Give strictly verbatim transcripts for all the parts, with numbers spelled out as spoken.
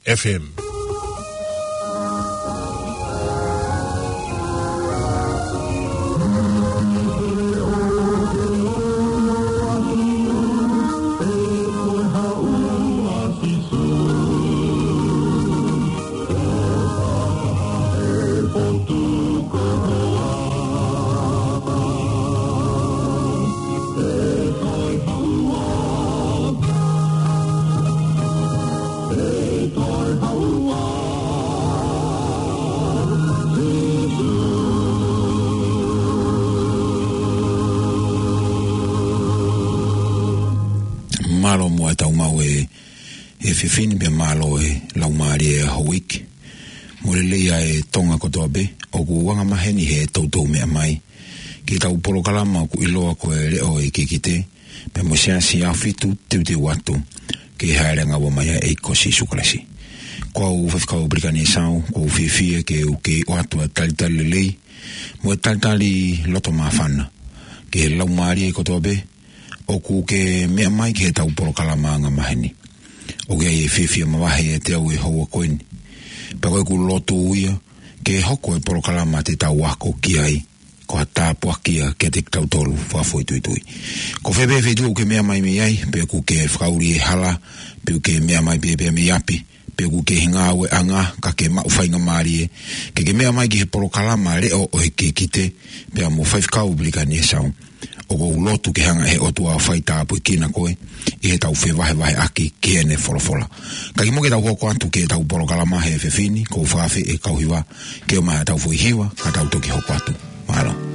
F M. Mālō muʻa e tau maʻu e, e efiafi ni pea mālō e laumālie e houʻeiki. Mo e lelei ʻa e Tonga kotoa pē, ʻoku angamaheni he toutou meʻa mai ki heʻetau polokalama ʻoku ʻiloa ko e Leʻo ʻo e Kikite, pea mo e Siasi ʻAhofitu Teuteu Atu ki he Hāʻele ʻAnga Ua mai ʻa e ʻEiki ko Sīsū Kalaisi. Ko au Faifekau Pelikani Esau, ʻoku ou fiefia ke u kei ʻoatu ʻa e talitali lelei mo e talitali loto māfana ki he laumālie kotoa pē ʻoku ke meʻa mai ki heʻetau polokalama angamaheni. ʻOku ʻi ai e fiefia mavahe ʻiate au he houa ko eni. Pea ko ʻeku lotu ia ke hoko e polokalama te tau ako ki ai ko ha tāpuaki ia kiate kitautolu fakafoʻituitui. Ko fē pē feituʻu ʻoku ke meʻa mai mei ai, pe ʻoku ke fakaʻuli he hala, pe ʻoku ke meʻa mai pē pē mei ʻapi, pe ʻoku ke ʻi he ngāueʻanga ka ke maʻu faingamālie ke ke meʻa mai ki he polokalama Leʻo ʻo e Kikite pea mo Faifekau Pelikani Esau. ʻOku ou lotu ke hanga ʻe he ʻOtua ʻo fai tāpuekina koe ʻi heʻetau fevahevaheʻaki ki heʻene folofola. Ka kimuʻa ke tau hoko atu ki heʻetau polokalama he efiafi ni, ʻoku ou fakaafeʻi e kau hiva ke ʻomai haʻatau foʻi hiva, ka tau toki hoko atu. Mālō.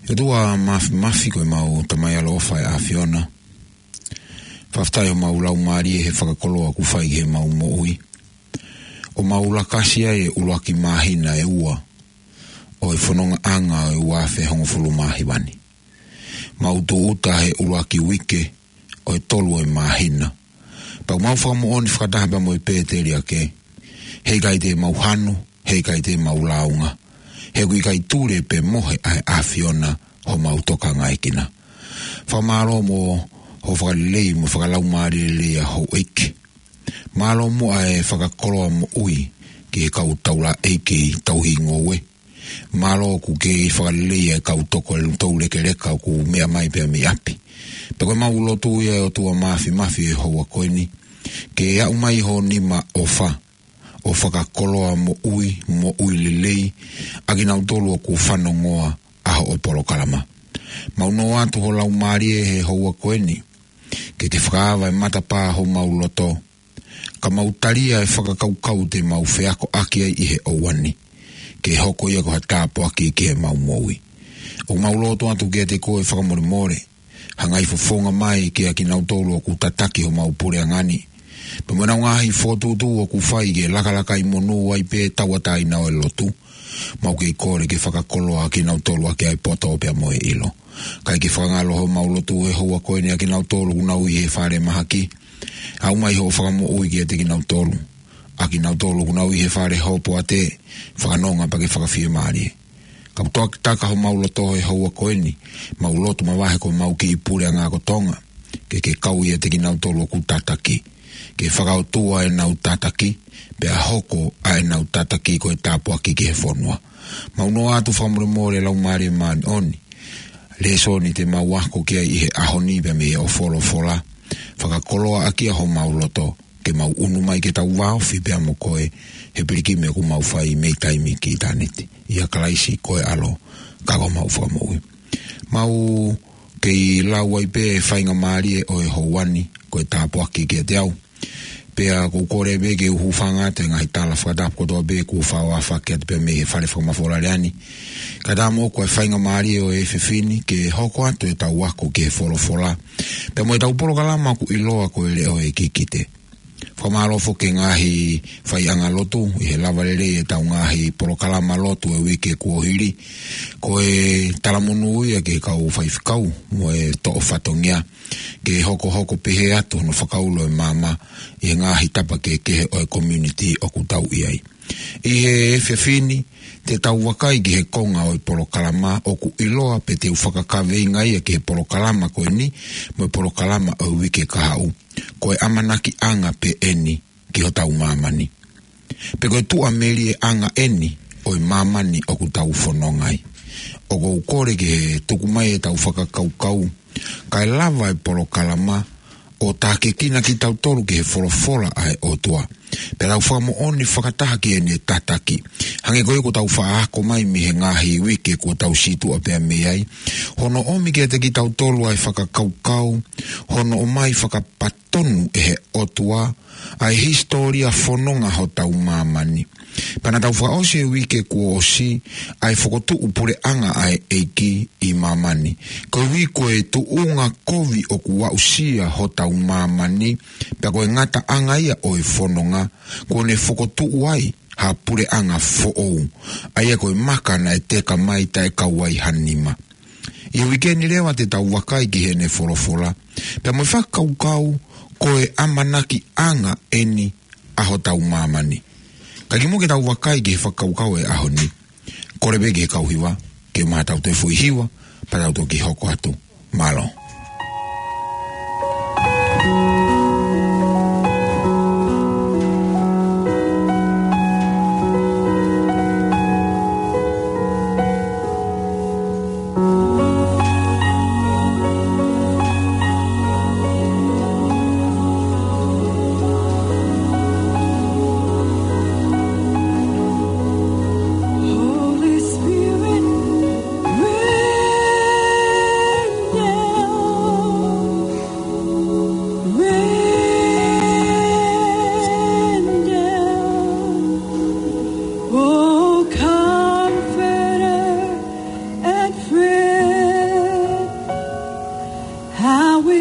ʻOtua Māfimafi, ko ʻemau Tamai ʻaloʻofa ʻa e ʻAfiona. Fakafetaʻi homau laumālie he fakakoloa kuo fai ki heʻemau moʻui, ʻo mau lakasi ai e ʻuluaki māhina ʻe ua ʻo e fonongaʻanga ʻo e ua afe hongofulu mā hiva ni. Mau tūʻuta he ʻuluaki uike ʻo e tolu ʻo e māhina. Pea ʻoku mau fakamoʻoni fakataha pea mo e pēteliake, heʻikai te mau hanu, heʻikai te mau lāunga, he ʻoku ʻikai tule pe mohe ʻa e ʻAfiona homau tokangaekina. Fakamālō mo hoʻo fakalelei mo fakalaumālie lelei ʻa houʻeiki. Mālō muʻa e fakakoloa moʻui ki he kau taulaʻeiki tauhi ngoue. Mālō ʻoku ke fakalelei e kau toko e tou lekeleka ʻoku meʻa mai pea mei ʻapi. Pea ko ʻemau lotu ia, ʻe ʻOtua Māfimafi, he houa ko eni, ke aʻu mai ho nima ʻofa ʻo fakakoloa moʻui, moʻui lelei ʻa kinautolu ʻoku fanongoa ʻa hoʻo polokalama. Mau nō atu ho laumālie he houa ko eni, ke ke fakaava e matapā homau loto, ka mau talia e fakakaukau te mau feakoʻaki ai ʻi he ʻaho ni, ke hoko ia ko ha tāpuaki ki heʻemau moʻui. ʻOku mau lotu atu kiate koe fakamolemole, hanga ʻo fofonga mai kiate kinautolu ʻoku tataki homau puleʻanga ni, pea mo ʻenau ngaahi fokotuʻutuʻu ʻoku fai ke lakalakai monū ai pē tauʻatāina ʻo e lotu. Mau kei kole ke fakakoloa kinautolu ʻaki ʻa e poto pea mo e ʻilo. Kae ke fakangaloʻi homau lotu he houa ko eni ʻa kinautolu ʻoku nau ʻi he fale mahaki. Aʻu mai hoʻo fakamoʻui kiate kinautolu. ʻA kinautolu ʻoku nau ʻi he fale hopoate, fakanonga pea ke fakafiemālie. Ka ʻoku toki taka homau loto he houa ko eni, mau lotu mavahe ko ʻemau kiʻi puleʻanga ko Tonga, ke ke kau ʻiate kinautolu ʻoku tataki, ke fakaʻotua ʻenau tataki, pea hoko ʻa ʻenau tataki ko e tāpuaki ki he fonua. Mau nō atu fakamolemole, Laumālie Māʻoniʻoni, lēsoni te mau ako ki ai ʻi he ʻaho ni pea mei hoʻo folofola, fakakoloa ʻaki ʻa homau loto, ke mau ʻunu mai ke tau vāofi pea mo koe, he pilikimi ʻoku mau fai mei taimi ki ʻitāniti. ʻIa Kalaisi ko e ʻAlo, ka ko homau Fakamoʻui. Mau kei lau ai pē e faingamālie ʻo e houa ni, ko e tāpuaki kiate au. Pea ʻoku ou kole pē ke u hūfanga atu he ngaahi tala fakatapu kotoa pē kuo fai ʻa e fakatapu pea mei he fale fakamafola lea ni. Kae ʻatā moʻoku ʻa e faingamālie ʻo e efiafi ni ke hoko atu ʻetau ako ki he folofola, pea mo ʻetau polokalama ʻoku ʻiloa ko e Leʻo ʻo e Kikite. Fakamālō foki ki he ngaahi faiʻanga lotu ʻi he lava lelei ʻetau ngaahi polokalama lotu ʻo e uike kuo hili. Ko e talamonū ia ki he kau faifekau mo e toʻo fatongia, ke hokohoko pehē atu hono fakaulo e maama ʻi he ngaahi tapa kehekehe ʻo e community ʻoku tau ʻi ai. ʻI he efiafi ni, te tau vakai ki he konga ʻo e polokalama ʻoku ʻiloa, pea te u fakakaveinga ia ki he polokalama ko eni mo e polokalama ʻo e uike kahaʻu, ko e ʻamanakiʻanga pē eni ki hotau māmani, pe ko e tuʻamelieʻanga eni ʻo e māmani ʻoku tau fononga ai. ʻOku ou kole ke tuku mai ʻetau fakakaukau, kae lava e polokalama ʻo tākiekina kitautolu ki he folofola ʻa e ʻOtua, pea tau fakamoʻoni fakataha ki heʻene tataki. Hangē ko ia kuo tau faʻa ako mai mei he ngaahi uike kuo tau situʻa pea mei ai, hono ʻomi kiate kitautolu ʻa e fakakaukau, hono ʻomai fakapatonu ʻe he ʻOtua ʻa e hisitōlia fononga hotau māmani. Pea naʻa tau fakaʻosi he uike kuo ʻosi ʻa e fokotuʻu puleʻanga ʻa e ʻEiki ʻi māmani. Koeʻuhi ko e tuʻunga kovi ʻoku aʻusia hotau māmani, pea ko e ngataʻanga ia ʻo e fononga, kuo ne fokotuʻu ai ha puleʻanga foʻou, ʻa ia ko e maka naʻe teka mai taʻe kau ai ha nima. ʻI he uike ni leva te tau vakai ki heʻene folofola, pea mo e fakakaukau, ko e ʻamanakiʻanga eni ʻa hotau māmani. Ka kimuʻa ke tau vakai ki he fakakaukau ʻo e ʻaho ni, kole pē ki he kau hiva ke ʻomai haʻatau toe foʻi hiva, pea tau toki hoko atu. Mālō.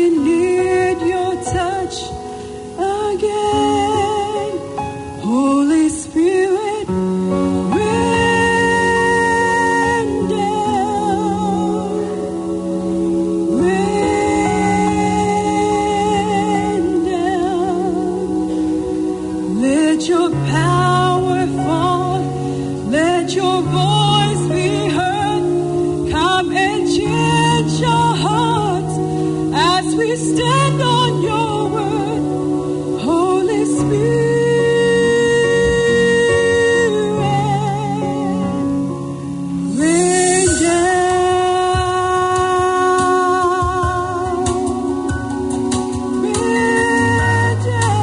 Need your touch again, Holy Spirit, rain down, rain down. Let your power fall. Let your voice be heard. Come and change our hearts as we stand on your word. Holy Spirit, rain down, rain down.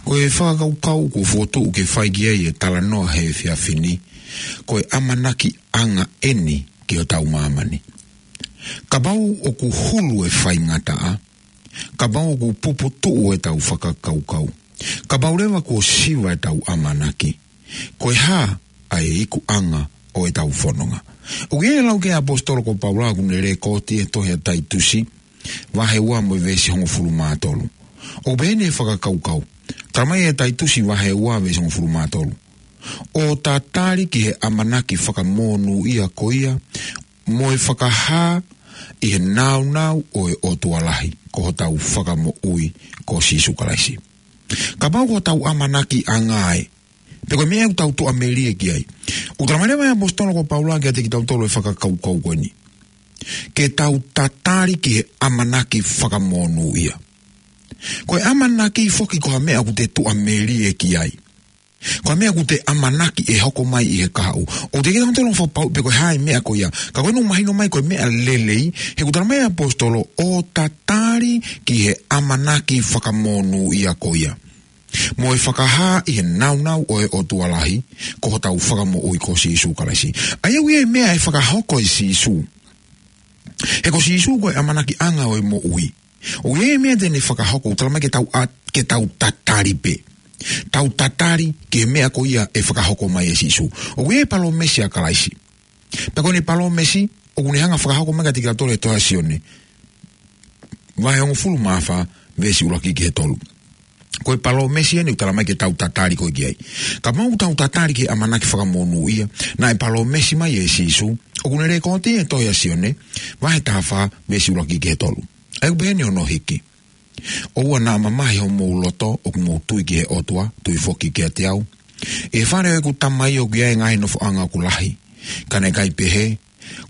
Ko e fakakaukau kuo fokotuʻu ke fai ki ai e talanoa he efiafi ni, ko e ʻamanakiʻanga ʻeni ki hotau māmani. Kapau ʻoku hulu e faingataʻa, kapau ʻoku puputuʻu ʻetau fakakaukau, kapau leva kuo siva ʻetau ʻamanaki, ko e hā ʻa e ikuʻanga ʻo ʻetau fononga? ʻOku ʻi ai e lau ki he ʻaposetolo ko Paula ʻoku ne lekooti he tohi ʻa Taitusi, vahe ua mo e veesi hongofulu mā tolu. ʻOku pehē ni e fakakaukau. Talamai ʻe Taitusi vahe ua veesi hongofulu mā tolu: ʻO tatali ki he ʻamanaki fakamonūʻia ko ia, mo e fakahā ʻi he nāunau ʻo e ʻOtua lahi, ko hotau Fakamoʻui ko Sīsū Kalaisi. Kapau ko hotau ʻamanakiʻanga ē, pe ko e meʻa ʻoku tau tuʻamelie ki ai, ʻoku talamai leva ʻe he ʻaposetolo ko Paula kiate kitautolu e fakakaukau ko eni: ke tau tatali ki he ʻamanaki fakamonūʻia. Ko e ʻamanaki foki ko ha meʻa ʻoku te tuʻamelie ki ai. Ko e meʻa ʻoku te ʻamanaki ʻe hoko mai ʻi he kahaʻu. ʻOku teʻeki ke tau fakapapauʻi pe ko e hā e meʻa ko ia. Ka ko eni ʻoku mahino mai ko e meʻa lelei, he ʻoku talamai ʻe he ʻaposetolo ʻo tatali ki he ʻamanaki fakamonūʻia ko ia. mo e fakahā ʻi he nāunau ʻo e ʻOtua lahi, ko hotau Fakamoʻui ko Sīsū Kalaisi. ʻA ia ʻoku ʻi ai e meʻa ʻe fakahoko ʻe Sīsū. He ko Sīsū ko e ʻamanakiʻanga ʻo e moʻui. ʻOku ʻi ai e meʻa te ne fakahoko, ʻoku tala mai ke tau ʻa-, ke tau tatali pē. Tau tatali ki he meʻa ko ia ʻe fakahoko mai ʻe Sīsū. ʻOku ʻi ai e palōmesi ʻa Kalaisi. Pea ko ʻene palōmesi, ʻoku ne hanga ʻo fakahoko mai kiate kitautolu ʻi he tohi ʻa Sione. Vahe hongofulu mā fā, veesi ʻuluaki ki he tolu. Ko e palōmesi eni ʻoku tala mai ke tau tatali ko ē ki ai. Kapau ʻoku tau tatali ki he ʻamanaki fakamonūʻia, naʻe palōmesi mai ʻe Sīsū, ʻoku ne lekooti ʻi he tohi ʻa Sione, vahe taha fā, veesi ʻuluaki ki he tolu. ʻA ia ʻoku pehē ni hono hiki. ʻOua naʻa mamahi homou loto, ʻoku mou tui ki he ʻOtua, tui foki kiate au. ʻI he fale ʻo ʻeku Tamai ʻoku ʻi ai e ngaahi nofoʻanga ʻoku lahi. Ka naʻe ʻikai pehē,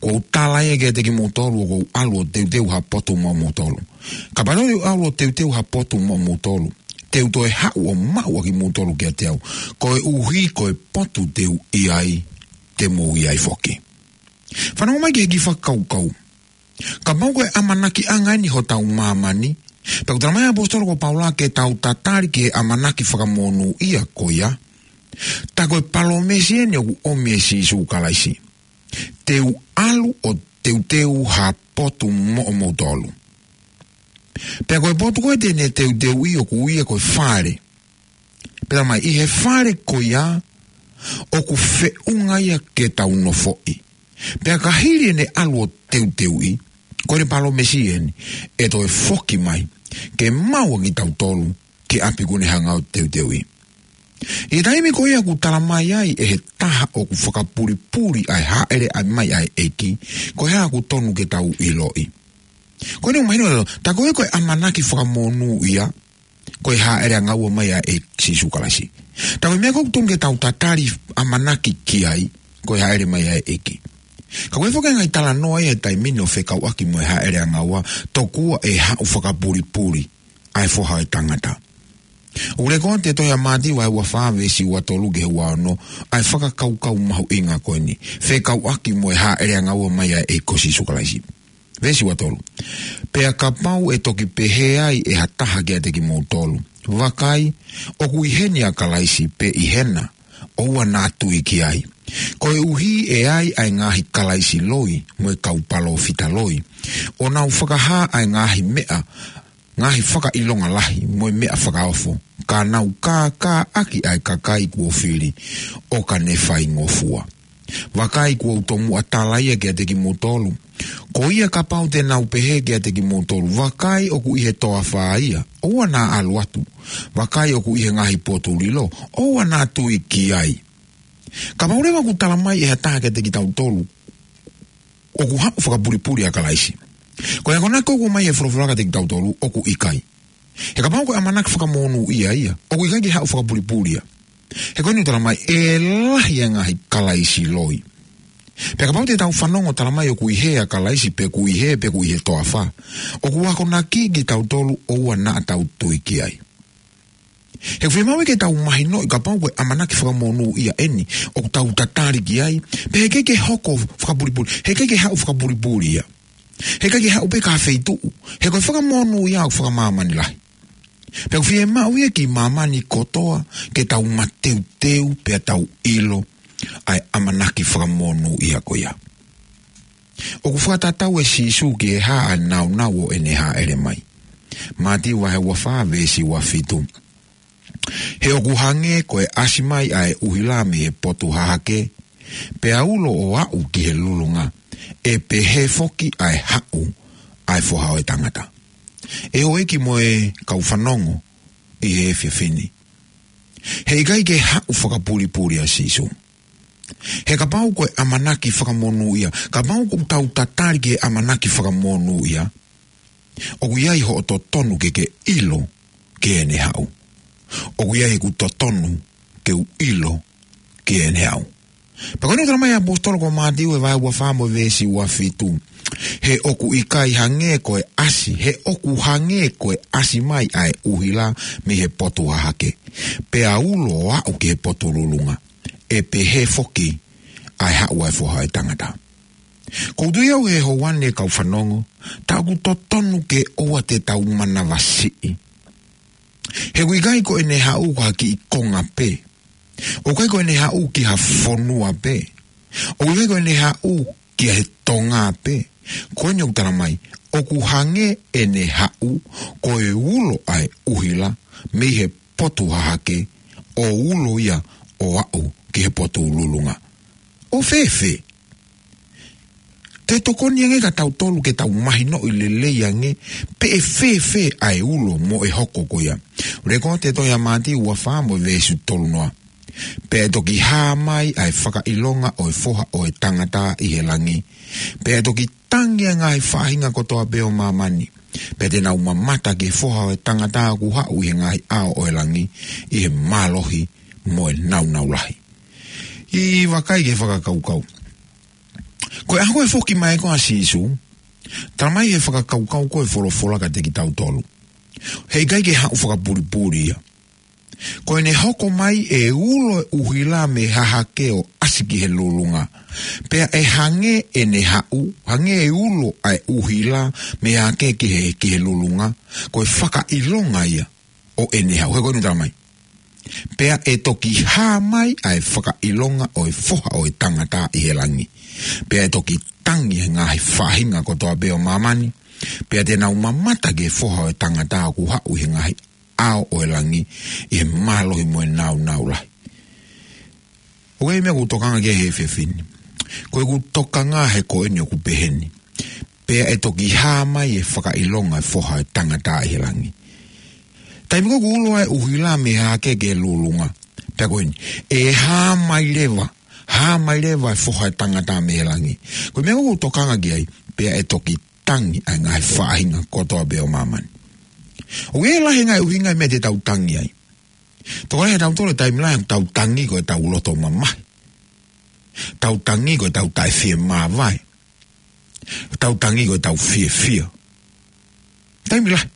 kuo u tala ia kiate kimoutolu ʻoku ou ʻalu ʻo teuteu ha potu maʻamoutolu. Kapau te u ʻalu ʻo teuteu ha potu maʻamoutolu, te u toe haʻu ʻo maʻu ʻa kimoutolu kiate au. Koeʻuhi ko e potu te u ʻi ai, te mou ʻi ai foki. Fanongo mai ki he kiʻi fakakaukau. Kapau ko e ʻamanakiʻanga eni hotau māmani, pea ʻoku tala mai ʻe he ʻaposetolo ko Paula ke tau tatali ki he ʻamanaki fakamonūʻia ko ia. Tā ko e palōmesi eni ʻoku ʻomi ʻe Sīsū Kalaisi. Te u ʻalu ʻo teuteu ha potu maʻamoutolu. Pea ko e potu ko ē te ne teuteuʻi ʻoku ui ia ko e fale. Pea tala mai ʻi he fale ko ia ʻoku feʻunga ia ke tau nofoʻi. Pea ka hili ʻene ʻalu ʻo teuteuʻi, ko ʻene palōmesi eni, ʻe toe foki mai, ke maʻu ʻa kitautolu, ki ʻapi kuo ne hanga ʻo teuteuʻi. ʻI he taimi ko ia ʻoku tala mai ai ʻe he taha ʻoku fakapulipuli ʻa e hāʻele mai ʻa e ʻEiki, ko e hā ʻoku tonu ke tau ʻiloʻi. Ko ʻene mahino, tā ko ē ko e ʻamanaki fakamonūʻia, ko e hāʻele ʻanga ua mai ʻa e ʻEiki Sīsū Kalaisi. Tā ko e meʻa ʻoku tonu ke tau tatali ʻamanaki ki ai, ko e hāʻele mai ʻa e ʻEiki. Ka ko e foki e ngaahi talanoa ʻi he taimi ni ʻo fekauʻaki mo e hāʻele ʻanga ua, tokua ʻe haʻu fakapulipuli ʻa e Foha ʻo e Tangata. ʻOku lekooti ʻi he tohi ʻa Mātiu vahe ua fā veesi ua tolu ki he ua ono, ʻa e fakakaukau mahuʻinga ko eni. Fekauʻaki mo e hāʻele ʻanga ua mai ʻa e ʻEiki ko Sīsū Kalaisi. Veesi ua tolu. Pea kapau ʻe toki pehē ai ʻe ha taha kiate kimoutolu, vakai, ʻoku ʻi heni ʻa Kalaisi pe ʻi hena, ʻoua naʻa tui ki ai. Koeʻuhi ʻe ai ʻa e ngaahi kalaisi loi, mo e kau palōfita loi. ʻO nau fakahā ʻa e ngaahi meʻa, ngaahi fakaʻilonga lahi, mo e meʻa fakaofo. Ka nau kākāʻaki ʻa e kakai kuo fili, ʻo ka ne faingofua. Vakai kuo u tomuʻa tala ia kiate kimoutolu. Ko ia kapau te nau pehē kiate kimoutolu, vakai ʻoku ʻi he toafa ia, ʻoua naʻa ʻalu atu. Vakai ʻoku ʻi he ngaahi potu lilo, ʻoua naʻa tui ki ai. Kapau leva ʻoku tala mai ʻe ha taha kiate kitautolu, ʻoku haʻu fakapulipuli ʻa Kalaisi. Ko e akonaki ʻoku ʻomai ʻe he folofola kiate kitautolu, ʻoku ʻikai. He kapau ko e ʻamanaki fakamonūʻia ia, ʻoku ʻikai ke haʻu fakapulipuli ia. He ko eni ʻoku tala mai, ʻe lahi ʻa e ngaahi kalaisi loi. Pea kapau te tau fanongo tala mai ʻoku ʻi hē ʻa Kalaisi pe ʻoku ʻi hē pe ʻoku ʻi he toafa, ʻoku akonaki kitautolu ʻoua naʻa tau tui ki ai. He ʻoku fiemaʻu ke tau mahinoʻi kapau ko e ʻamanaki fakamonūʻia eni, ʻoku tau tatali ki ai, pea heʻikai ke hoko fakapulipuli, heʻikai ke haʻu fakapulipuli ia. Heʻikai ke haʻu pē ki ha feituʻu. He ko e fakamonūʻia ʻoku fakamāmani lahi. Pea ʻoku fiemaʻu ia ki māmani kotoa ke tau mateuteu pea tau ʻilo ʻa e ʻamanaki fakamonūʻia ko ia. ʻOku fakatatau ʻe Sīsū ki he hā ʻa e nāunau ʻo ʻene hāʻele mai. Mātiu vahe ua fā veesi ua fitu. He ʻoku hangē ko e ʻasi mai ʻa e ʻuhila mei he potu hahake, pea ulo ʻo aʻu ki he lulunga, ʻe pehē foki ʻa e haʻu ʻa e Foha ʻo e Tangata. ʻE houʻeiki mo e kau fanongo ʻi he efiafi ni. Heʻikai ke haʻu fakapulipuli ʻa Sīsū. He kapau ko e ʻamanaki fakamonūʻia, kapau ʻoku tau tatali ki he ʻamanaki fakamonūʻia, ʻoku ʻi ai hoʻo totonu ke ke ʻilo ki heʻene haʻu. ʻOku ʻi ai ʻeku totonu ke u ʻilo ki heʻene haʻu. Pea ko eni ʻoku tala mai ʻe he ʻaposetolo ko Mātiu ʻi he vahe ua fā mo e veesi ua fitu. He ʻoku ʻikai hangē ko e ʻasi, he ʻoku hangē ko e ʻasi mai ʻa e ʻuhila mei he potu hahake. Pea ulo ʻo aʻu ki he potu lulunga. ʻE pehē foki ʻa e haʻu ʻa e Foha ʻo e Tangata. ʻOku ou tui au he houa ni kau fanongo, tā ʻoku totonu ke ʻoua te tau manavasiʻi. He ʻoku ʻikai ko ʻene haʻu ko ha kiʻi konga pē. ʻOku ʻikai ko ʻene haʻu ki ha fonua pē. ʻOku ʻikai ko ʻene haʻu ki he Tonga pē. Ko eni ʻoku tala mai, ʻoku hangē ʻene haʻu ko e ulo ʻa e ʻuhila mei he potu hahake, ʻo ulo ia ʻo aʻu ki he potu lulunga. ʻO fēfē? Te tokoni ange kia tautolu ke tau mahinoʻi lelei ange pe ʻe fēfē ʻa e ulo mo e hoko ko ia. Leko atu e tohi ʻa Mātiu ua fā mo e veesi tolu noa. Pea ʻe toki hā mai ʻa e fakaʻilonga ʻo e Foha ʻo e Tangata ʻi he langi. Pea ʻe toki tangi ʻa e ngaahi faʻahinga kotoa pē ʻo māmani. Pea te nau mamata ki he Foha ʻo e Tangata ʻoku haʻu ʻi he ngaahi ʻao ʻo e langi, ʻi he mālohi mo e nāunau lahi. ʻI vakai ki he fakakaukau. Ko e ʻaho ko ē foki mai ko ē ʻa Sīsū, tala mai he fakakaukau ko e folofola kiate kitautolu. He ʻikai ke haʻu fakapulipuli ia. Ko ʻene hoko mai ʻe ulo e ʻuhila mei hahake ʻo ʻasi ki he lulunga. Pea ʻe hangē ʻene haʻu, hangē e ulo ʻa e ʻuhila mei hahake ki he, ki he lulunga. Ko e fakaʻilonga ia ʻo ʻene haʻu. He ko eni ʻoku tala mai. Pea ʻe toki hā mai ʻa e fakaʻilonga ʻo e Foha ʻo e Tangata ʻi he langi. Pea ʻe toki tangi ʻa e ngaahi faʻahinga kotoa pē ʻo māmani. Pea te nau mamata ki he Foha ʻo e Tangata ʻoku haʻu ʻi he ngaahi ʻao ʻo e langi, ʻi he mālohi mo e nāunau lahi. ʻOku ʻi ai e meʻa ʻoku ou tokanga ki ai he efiafi ni. Ko ʻeku tokanga he ko eni ʻoku pehē ni. Pea ʻe toki hā mai e fakaʻilonga e Foha ʻo e Tangata ʻi he langi. Taimi ko ē ʻoku ulo ai e ʻuhila mei hahake ki he lulunga. Pea ko eni, ʻe hā mai leva, hā mai leva e Foha ʻo e Tangata mei he langi. Ko e meʻa ʻoku ou tokanga ki ai, pea ʻe toki tangi ʻa e ngaahi faʻahinga kotoa pē ʻo māmani. ʻOku ʻi ai e lahi e ngaahi ʻuhinga e meʻa te tau tangi ai. Tokolahi ʻia tautolu e taimi lahi ʻoku tau tangi ko ʻetau loto mamahi. Tau tangi ko ʻetau taʻefiemāvae. Tau tangi ko ʻetau fiefia. Taimi lahi.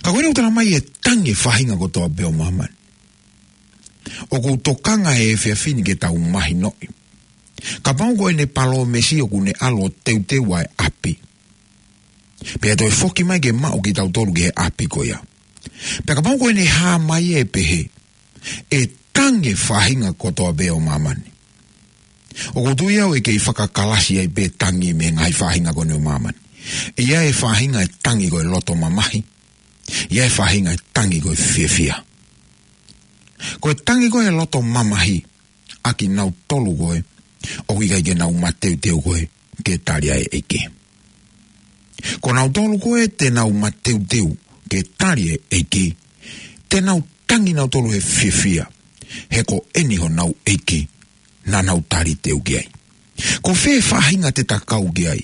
Ka ko eni ʻoku tala mai ʻe tangi e faʻahinga kotoa pē ʻo māmani. ʻOku ou tokanga he efiafi ni ke tau mahinoʻi. Kapau ko ʻene palōmesi ʻoku ne ʻalu ʻo teuteu ʻa e ʻapi. Pea toe foki mai ke maʻu kitautolu ki he ʻapi ko ia. Pea kapau ko ʻene hā mai ʻe pehē, ʻe tangi e faʻahinga kotoa pē ʻo māmani. ʻOku ou tui au ʻe kei fakakalasi ai pē tangi mei he ngaahi faʻahinga ko eni ʻo māmani. ʻI ai e faʻahinga ʻe tangi ko e loto mamahi. ʻI ai e faʻahinga ʻe tangi ko e fiefia. Ko e tangi ko e loto mamahi, ʻa kinautolu ko ē ʻoku ʻikai ke nau mateuteu ko ē ke tali ʻa e ʻEiki. Ko nautolu ko ē te nau mateuteu ke tali e ʻEiki, te nau tangi nautolu he fiefia, he ko eni honau ʻEiki naʻa nau taliteu ki ai. Ko fē faʻahinga te ta kau ki ai?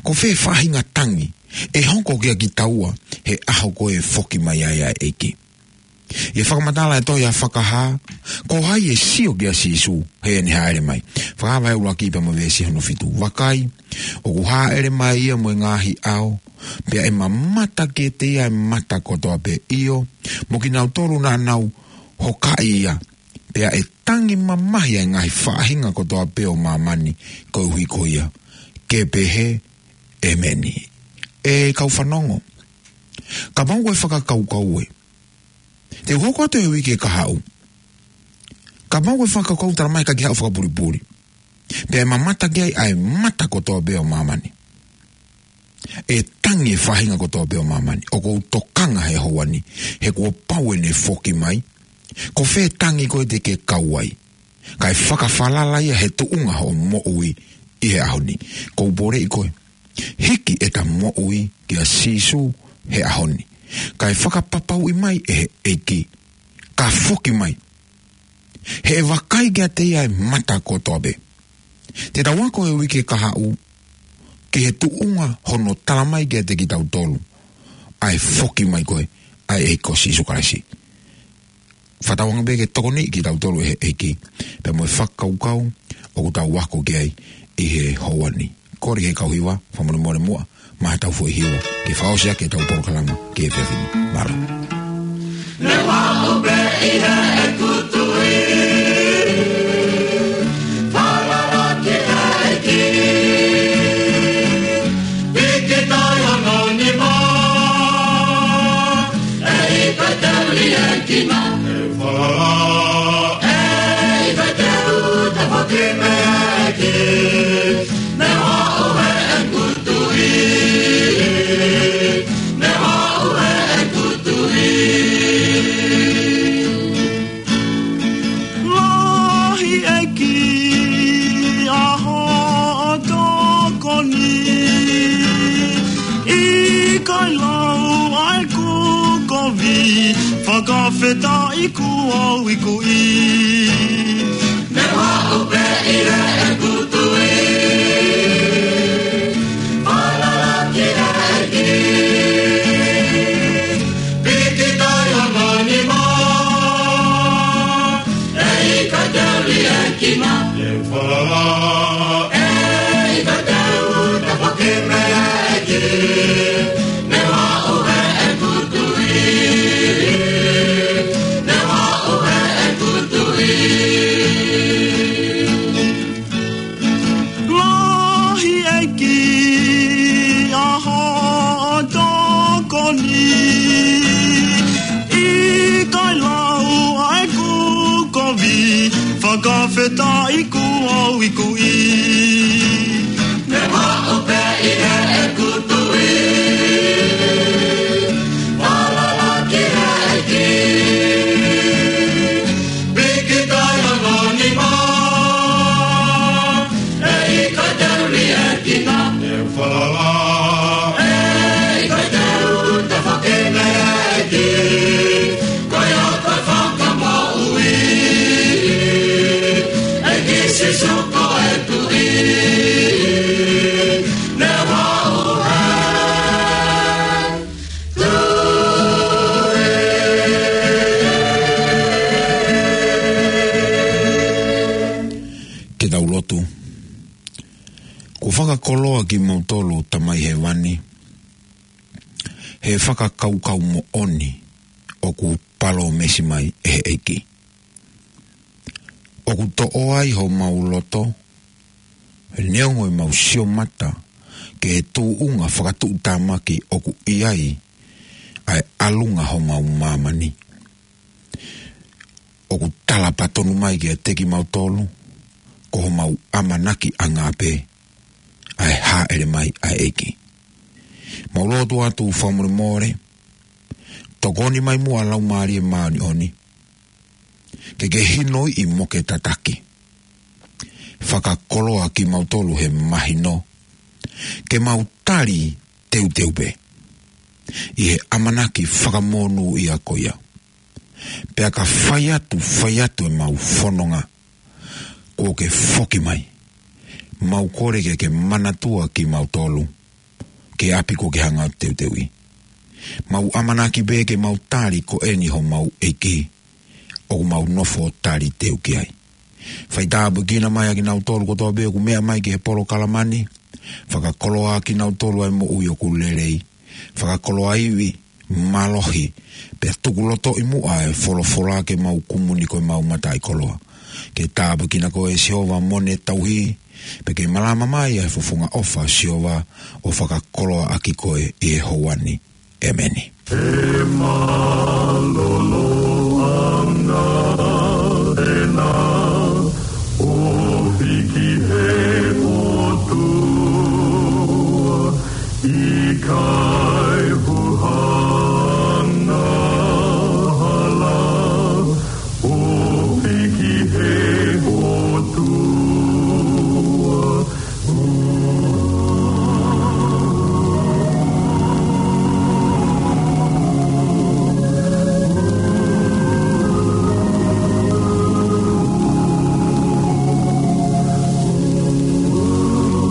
Ko fē faʻahinga tangi ʻe hoko kia kitaua he ʻaho ko ē ʻe foki mai ai ʻa e ʻEiki? ʻI he fakamatala e tohi ʻa Fakahā, ko hai ʻe sio kia Sīsū heʻene hāʻele mai? Fakahā vahe ʻuluaki pea mo e veesi hono fitu. Vakai, ʻoku hāʻele mai ia mo e ngaahi ʻao, pea ʻe mamata kiate ia ʻa e mata kotoa pē, ʻio, mo kinautolu naʻa nau hokaʻi ia, pea ʻe tangi mamahi ʻa e ngaahi faʻahinga kotoa pē ʻo māmani koeʻuhi ko ia. Ke pehē, ʻēmeni. ʻE kau fanongo, kapau ko e fakakaukau ē, te u hoko atu he uike kahaʻu. Kapau ko e fakakaukau tala mai ʻikai ke haʻu fakapulipuli, pea ʻe mamata ki ai ʻa e mata kotoa pē ʻo māmani, ʻe tangi e faʻahinga kotoa pē ʻo māmani. ʻOku ou tokanga he houa ni, he kuo pau ʻene foki mai. Ko fē tangi ko ē te ke kau ai? Kae fakafalala ia he tuʻunga hoʻo moʻui ʻi he ʻaho ni. ʻOku ou poleʻi koe, hiki ʻeta moʻui kia Sīsū he ʻaho ni, kae fakapapauʻi mai ʻe he ʻEiki, ka foki mai, he ʻe vakai kiate ia ʻa e mata kotoa pē. Te tau ako he uike kahaʻu ki he tuʻunga hono tala mai kiate kitautolu ʻa e foki mai ko ē ʻa e ʻEiki ko Sīsū Kalaisi. Fakatauange pē ke tokoniʻi kitautolu ʻe he ʻEiki pea mo e fakakaukau ʻoku tau ako ki ai ʻi he houa ni. Kole ki he kau hiva, fakamolemole muʻa, maʻa ʻetau foʻi hiva ke fakaʻosi ʻaki ʻetau polokalama ki he efiafi ni. Mālō. Ne vau pē ʻi heʻeku tui, falala ki he ʻEiki. Piki tai hono nima, ʻe ʻikai Kai lau ʻa ʻeku kovi, fakafetaʻi kuo u ikuʻi. Ne u haʻu pē ʻi heʻeku tui, falala ki he ʻEiki. Piki tai hono nima, ʻe ʻikai te u liʻekina. Ke falala, ʻe ʻikai te u tafoki mei he ʻEiki. Ne u haʻu heʻeku tui, ne u haʻu heʻeku tui. Lahi ʻEiki ʻa hoʻo tokoni, ʻikai lau ʻa ʻeku kovi, fakafetaʻi kuo u ikuʻi. Ne u haʻu pē ʻi heʻeku tui, falala ki he ʻEiki. Piki tai hono nima, ʻe ʻikai te u liʻekina. Ne u falala, ʻe ʻikai te u tafoki mei he ʻEiki. Ko ia ko e Fakamoʻui, ʻEiki Sīsū ko e Tuʻi. Ne u haʻu heʻeku tui. Ke tau lotu. Kuo fakakoloa kimautolu Tamai Hēvani, he fakakaukau moʻoni ʻoku palōmesi mai ʻe he ʻEiki. ʻOku toʻo ai homau loto, neongo ʻemau sio mata ki he tuʻunga fakatuʻutāmaki ʻoku ʻi ai ʻa e ʻalunga homau māmani. ʻOku tala pē tonu mai kiate kimautolu, ko homau ʻamanakiʻanga pē ʻa e hāʻele mai ʻa e ʻEiki. Mau lotu atu fakamolemole, tokoni mai muʻa Laumālie Māʻoniʻoni, ke ke hinoiʻi mo ke tataki. Fakakoloa kimautolu he mahino, ke mau tali teuteu pē ʻi he ʻamanaki fakamonūʻia ko ia. Pea ka fai atu, fai atu ʻemau fononga, kuo ke foki mai. Mau kole ke ke manatua kimautolu ki he ʻapi kuo ke hanga ʻo teuteuʻi. Mau ʻamanaki pē ke mau tali ko eni homau ʻEiki ʻoku mau nofo ʻo taliteu ki ai. Fai tāpuekina mai ʻa kinautolu kotoa pē ʻoku meʻa mai ki he polokalama ni. Fakakoloa kinautolu ʻa e moʻui ʻoku lelei. Fakakoloa ivi, mālohi, pea tukulotoʻi muʻa e folofola ke mau kumuni ko ʻemau mataʻikoloa. Ke tāpuekina koe Sihova mo ne tauhi, pea ke malama mai ʻa e fofonga ʻofa Sihova ʻo fakakoloaʻaki koe ʻi he houa ni. ʻEmeni. He mālōlō ʻanga ena ʻo hiki he ʻOtua, ʻikai huhanga hala ʻo hiki he ʻOtua.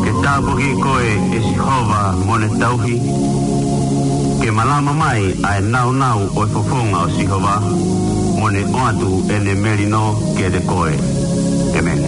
Ke tāpuekina koe ʻe Sihova mo ne tauhi, ke malama mai ʻa e nāunau ʻo e fofonga ʻo Sihova, mo ne ʻoatu ʻene melino kiate koe. ʻEmeni.